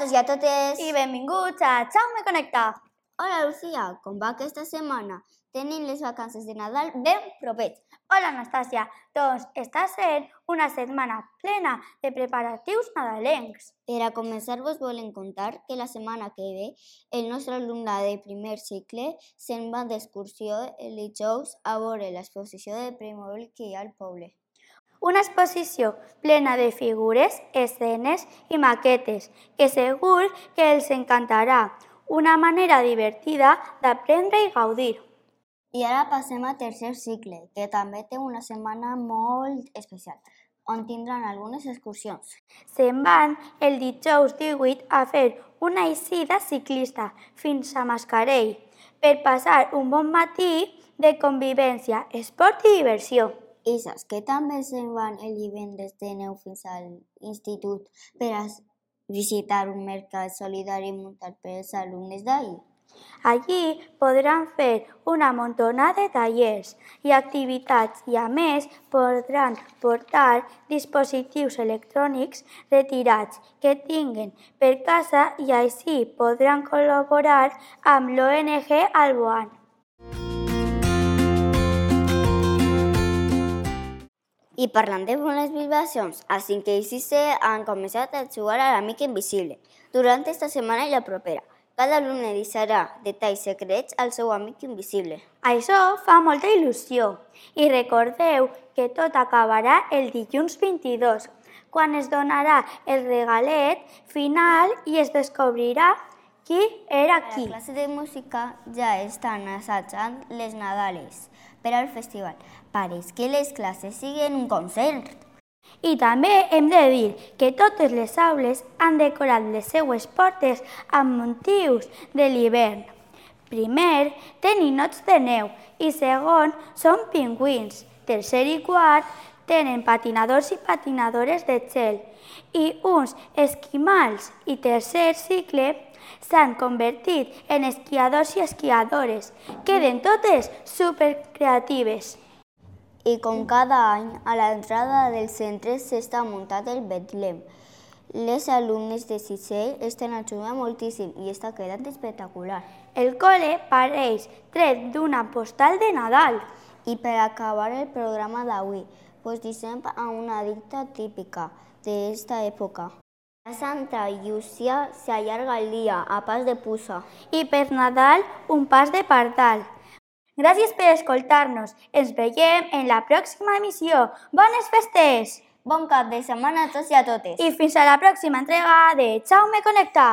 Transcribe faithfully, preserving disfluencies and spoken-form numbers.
tots i a totes! I benvinguts a Jaume Connecta! Hola, Lucía, com va aquesta setmana? Tenim les vacances de Nadal ben propets. Hola, Anastàcia. Doncs està sent una setmana plena de preparatius nadalencs. Per a començar, vos volem contar que la setmana que ve el nostre alumne de primer cicle se'n va d'excursió el dijous a veure l'exposició de Playmobil que hi ha al poble. Una exposició plena de figures, escenes i maquetes que segur que els encantarà. Una manera divertida d'aprendre i gaudir. I ara passem a tercer cicle, que també té una setmana molt especial, on tindran algunes excursions. Se'n van el dijous divuit a fer una eixida ciclista fins a Mascarell per passar un bon matí de convivència, esport i diversió. I saps que també se'n van el divendres de neu fins a l'institut per a visitar un mercat solidari muntat pels alumnes d'ahir. Allí podran fer una muntona de tallers i activitats i, a més, podran portar dispositius electrònics retirats que tinguen per casa i així podran col·laborar amb l'O N G Alboan. I parlant de bones vibracions, a cinquè i sisè han començat a jugar a l'Amic Invisible durant esta setmana i la propera. Cada alumne deixarà detalls secrets al seu amic invisible. Això fa molta il·lusió. I recordeu que tot acabarà el dilluns vint-i-dos, quan es donarà el regalet final i es descobrirà qui era qui. A la classe de música ja estan assajant les Nadales per al festival. Pareix que les classes siguen un concert. I també hem de dir que totes les aules han decorat les seues portes amb motius de l'hivern. Primer, tenen ninots de neu i segon, són pingüins. Tercer i quart, tenen patinadors i patinadores de gel i uns esquimals. I tercer cicle, s'han convertit en esquiadors i esquiadores. Queden totes supercreatives. I com cada any, a l'entrada del centre s'està muntat el Betlem. Les alumnes de sisè estan ajudant moltíssim i està quedant espectacular. El col·le pareix tret d'una postal de Nadal. I per acabar el programa d'avui, vos deixem a una dita típica d'esta època. A Santa Llúcia s'allarga el dia a pas de puça. I per Nadal, un pas de pardal. Gràcies per escoltar-nos. Ens veiem en la pròxima emissió. Bones festes! Bon cap de setmana a tots i a totes. I fins a la pròxima entrega de Jaume Connecta.